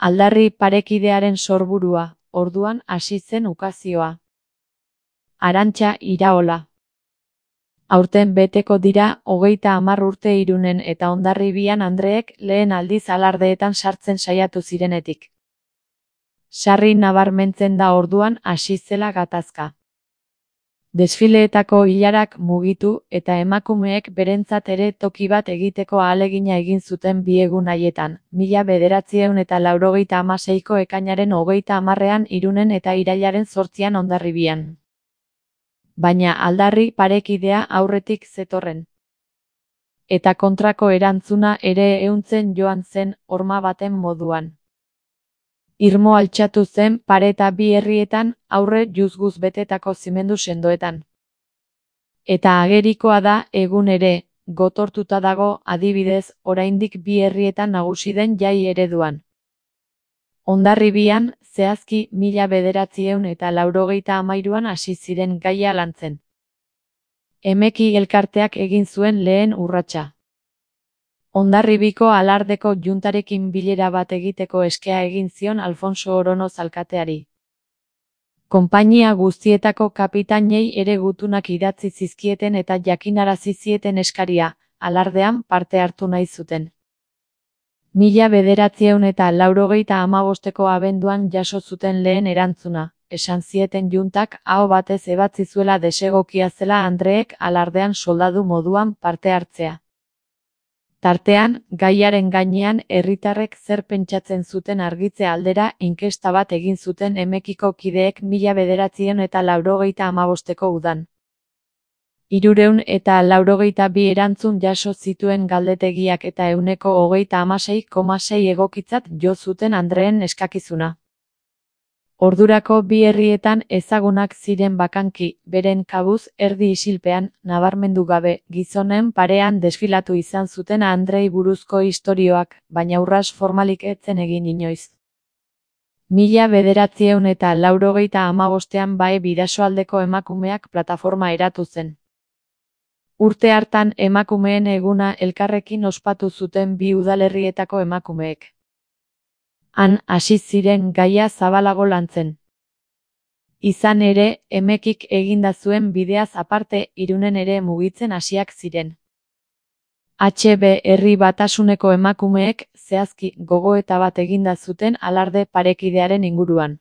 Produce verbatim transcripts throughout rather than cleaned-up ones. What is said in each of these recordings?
Aldarri parekidearen sorburua, orduan hasi zen ukazioa. Arantxa Iraola. Aurten beteko dira hogeita hamar urte Irunen eta Hondarribian andreek lehen aldiz alardeetan sartzen saiatu zirenetik. Sarri nabarmentzen da orduan hasi zela gatazka. Desfileetako ilarak mugitu eta emakumeek berentzat ere toki bat egiteko ahalegina egin zuten bi egun haietan, mila bederatziehun eta laurogeita hamaseiko ekainaren hogeita hamarrean Irunen eta irailaren zortzian Hondarribian. Baina aldarri parekidea aurretik zetorren. Eta kontrako erantzuna ere ehuntzen joan zen horma baten moduan. Irmo altxatu zen pareta bi herrietan aurre juzguz betetako zimendu sendoetan. Eta agerikoa da egun ere, gotortuta dago adibidez oraindik bi herrietan nagusi den jai ereduan. Hondarribian, zehazki mila bederatziehun eta laurogeita hamairuan hasi ziren gaia lantzen. Emeki elkarteak egin zuen lehen urratsa. Hondarribiko alardeko juntarekin bilera bat egiteko eskea egin zion Alfonso Oronoz alkateari. Konpainia guztietako kapitainei ere gutunak idatzi zizkieten eta jakinarazi zieten eskaria, alardean parte hartu nahi zuten. Mila bederatziehun eta laurogeita hamabosteko abenduan jaso zuten lehen erantzuna, esan zieten juntak aho batez ebatzi zuela desegokia zela andreek alardean soldadu moduan parte hartzea. Tartean, gaiaren gainean herritarrek zer pentsatzen zuten argitze aldera inkesta bat egin zuten Emekiko kideek mila bederatziehun eta laurogeita hamabosteko udan. Hirurehun eta laurogeita bi erantzun jaso zituen galdetegiak eta ehuneko hogeita hamasei koma sei egokitzat jo zuten andreen eskakizuna. Ordurako bi herrietan ezagunak ziren bakanki, beren kabuz erdi isilpean, nabarmendu gabe, gizonen parean desfilatu izan zuten andrei buruzko istorioak, baina urras formalik etzen egin inoiz. Mila bederatziehun eta laurogeita hamabostean bae Bidasoaldeko emakumeak plataforma eratu zen. Urte hartan emakumeen eguna elkarrekin ospatu zuten bi udalerrietako emakumeek. Han hasi ziren gaia zabalago lantzen. Izan ere, Emekik eginda zuen bideaz aparte Irunen ere mugitzen hasiak ziren. H B herri batasuneko emakumeek zehazki gogoeta bat eginda zuten alarde parekidearen inguruan.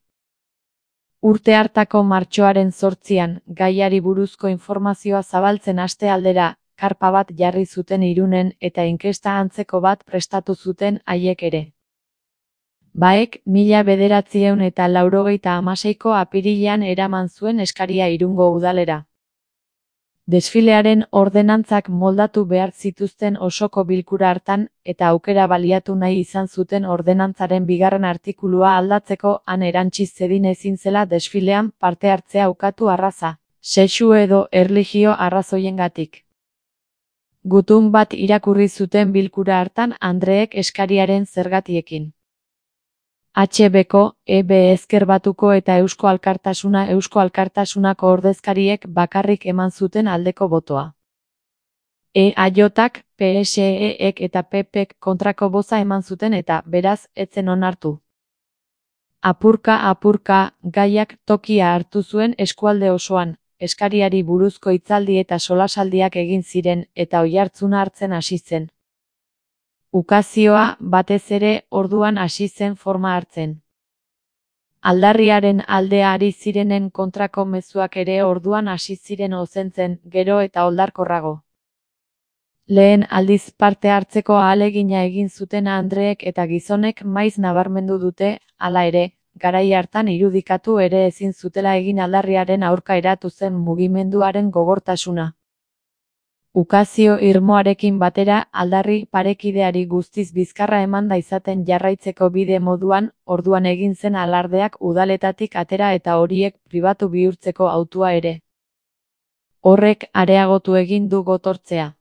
Urte hartako martxoaren zortzian, gaiari buruzko informazioa zabaltzen haste aldera, karpa bat jarri zuten Irunen eta inkesta antzeko bat prestatu zuten haiek ere. Baek, mila bederatziehun eta laurogeita hamaseiko apirilean eraman zuen eskaria Irungo udalera. Desfilearen ordenantzak moldatu behar zituzten osoko bilkura hartan eta aukera baliatu nahi izan zuten ordenantzaren bigarren artikulua aldatzeko han erantsi zedin ezin zela desfilean parte hartzea ukatu arraza, sexu edo erlijio arrazoiengatik. Gutun bat irakurri zuten bilkura hartan andreek eskariaren zergatiekin. H Bko, E B Ezker Batuko eta Eusko Alkartasuna Eusko Alkartasunako ordezkariek bakarrik eman zuten aldeko botoa. E A Jk, P S E-ek eta P Pek kontrako boza eman zuten eta, beraz, ez zen onartu. Apurka-apurka, gaiak tokia hartu zuen eskualde osoan, eskariari buruzko hitzaldi eta solasaldiak egin ziren eta oihartzuna hartzen hasi zen. Ukazioa, batez ere, orduan hasi zen forma hartzen. Aldarriaren aldea ari zirenen kontrako mezuak ere orduan hasi ziren ozentzen, gero eta oldarkorrago. Lehen aldiz parte hartzeko ahalegina egin zuten andreek eta gizonek maiz nabarmendu dute, hala ere, garai hartan irudikatu ere ezin zutela egin aldarriaren aurka eratu zen mugimenduaren gogortasuna. Ukazio irmoarekin batera aldarri parekideari guztiz bizkarra emanda izaten jarraitzeko bide moduan, orduan egin zen alardeak udaletatik atera eta horiek pribatu bihurtzeko hautua ere. Horrek areagotu egin du gotortzea.